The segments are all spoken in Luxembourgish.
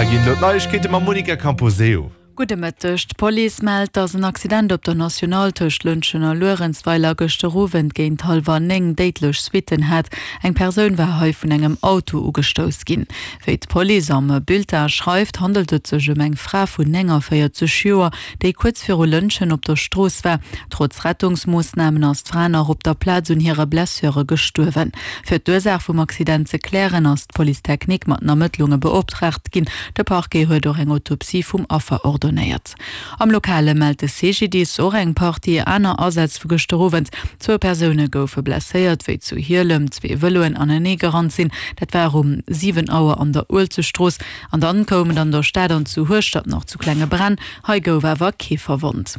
Hei ginn elo d'Neiegkeete mam Monica Camposeo. Gudde Mëtteg. D'Police mellt, datt en Accident op der National tëscht Lëntgen a Luerenzweiler gëschter Owend géint hallwer 9 déidlech Suitten hat. Eng Persoun war hei vun engem Auto ugestouss ginn. Wéi d'Police am Bulletin schreift, handelt et sech ëm eng Fra vun 49 Joer, déi kuerz viru Lëntgen op der Strooss war. Trotz Rettungsmoossnamen ass d'Fra nach op der Plaz un hire Blessure gestuerwen. Fir d'Ursaach vum Accident ze klären, ass d'Police technique mat den Ermëttlunge beoptraagt ginn. De Parquet huet och eng Autopsie vum Affer ordonéiert. Am Lokale mellt de CGDIS och eng Partie aner Asätz vu gëschter Owend. Zwou Persoune goufe blesséiert, wéi zu Hielem zwee Vëloen anenee gerannt sinn. Dat war um 7 Auer an der Uelzechtstrooss. An dann koum et an der Stad an zu Hueschtert nach zu klenge Bränn. Hei gouf awer kee verwonnt.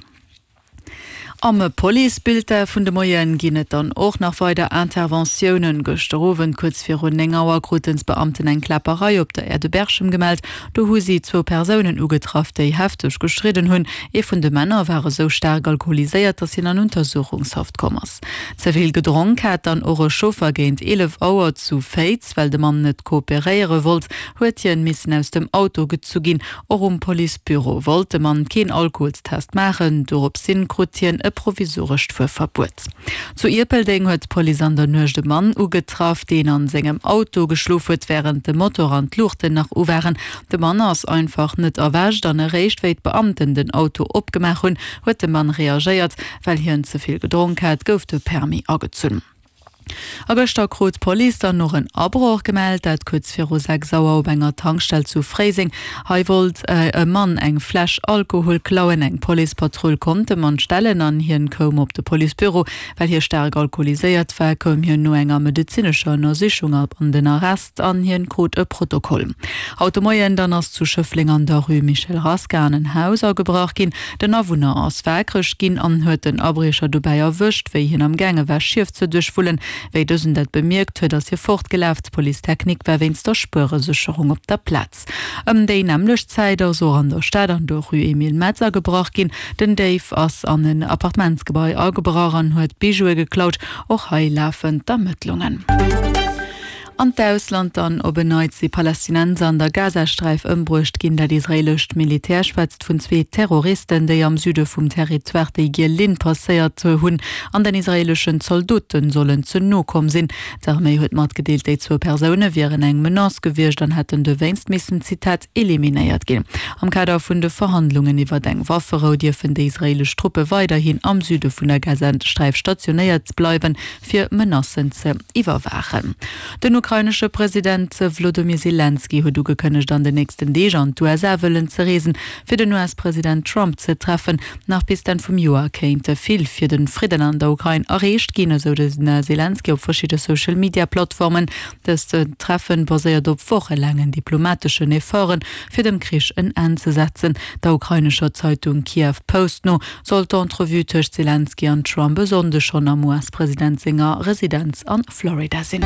Am Policebulletin vun de Moien ginn et dann och nach weider Interventiounen. Gëschter Owend kuerz virun 9 Auer kruten d'Beamten eng Kläpperei op der Aire de Berchem gemellt. Do hu si zwou Persounen ugetraff, déi hefteg gestridden hunn. Ee vun de Männer war esou staark alkoholiséiert, datt hien an Untersuchungshaft komm ass. Ze vill gedronk hat dann och e Chauffer géint 11 Auer zu Féiz. Well de Mann net kooperéiere wollt, huet hien missen aus dem Auto gezu ginn. Och um Policebüro wollt de Mann keen Alkoholstest maachen, doropshin krut hien e provisorescht Fuerverbuet. Zu Ierpeldeng huet d'Police an der Nuecht e Mann ugetraff, deen an sengem Auto geschlof huet, wärend de Motor an d'Luuchten nach u waren. De Mann ass einfach net erwächt an eréischt wéi d'Beamten den Auto opgemaach hunn, huet de Mann reagéiert. Well hien ze vill gedronk hat, gouf de Permis agezunn. A gëschter krut d'Police dann och en Abroch gemellt, dat kuerz viru 6 Auer op enger Tankstell zu Fréiseng. Hei wollt e Mann eng Fläsch Alkohol klauen. Eng Policepatrull konnt de Mann stellen an hien koum op de Policebüro. Well hie staark alkoholiséiert war, koum hien no enger medezinescher Ënnersichung an den Arrest an hien krut e Protokoll. Haut de Moien dann ass zu Schëffleng an der Rue Michel Rasca an en Haus agebrach ginn. Den Awunner ass waakreg ginn an huet den Abriecher dobäi erwëscht, wéi hien am gaange war Schief ze duerchwullen. Wéi dësen dat bemierkt huet, ass hie fortgelaf. D'Police technique war wéinst der Spueresécherung op der Plaz. Ëm déi nämmlecht Zäit ass och an der Stad an der Rue Emile Metz agebrach ginn. Den Déif ass an en Appartementsgebai agebrach an huet Bijoue geklaut. Och hei lafen d'Ermëttlungen. An d'Ausland dann, Op en Neits si Palästinenser an der Gazasträif ëmbruecht ginn. Dat israeelescht Militär schwätzt vun zwee Terroristen, déi am Süde vum Territoire déi giel Linn passéiert hunn an den israeeleschen Zaldote sollen ze no komm sinn. D'Arméi huet matgedeelt, déi zwou Persoune wieren eng Menace gewiescht an hätten dowéinst missen, Zitat, eliminéiert ginn. Am Kader vun de Verhandlungen iwwert eng Wafferou dierfen déi israeelesch Truppe weiderhin am Süde vun der Gazasträif stationéiert bleiwen. fir Menacen ze iwwerwaachen. Den ukrainesche President Wlodomir Selenskyj huet ugekënnegt, an den nächsten Deeg an d'USA wëllen ze reesen, fir den US-President Trump ze treffen. Nach bis d'Enn vum Joer kéint vill fir de Fridden an der Ukrain erreecht ginn, esou de Selenskyj op verschidde Social-Media-Plattformen. Dëst Treffen baséiert op wochelaangen diplomateschen Efforten, fir dem Krich en Enn ze setzen. Der ukrainescher Zeitung Kiew Post no Soll d'Entrevue tëscht Selenskyj an Trump e Sonnde schonn am US-President senger Residenz a Florida sinn?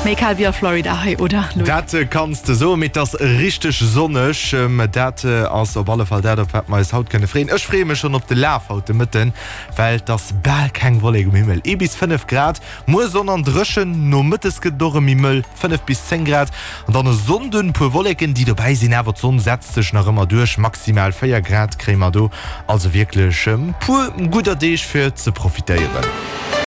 Méi kal wéi a Florida hei, oder Louis? Dat kanns de soen, mee et ass richteg sonneg. Dat ass op alle Fall dat, op wat mer eis haut kënne freeën. Ech freeë mech schonn op de Laf haut de Mëtten, well et ass bal keng Wollek um Himmel, ee bis 5 Grad. Muer Sonn an dréchen, nomëttes gëtt et och erëm méi mëll, 5 bis 10 Grad. An dann e Sonnden puer Wolleken déi dobäi sinn, awer d'Sonn setzt sech nach ëmmer duerch. Maximal 4 Grad kréie mer do, also wierklech puer gudder Deeg fir ze profitéieren.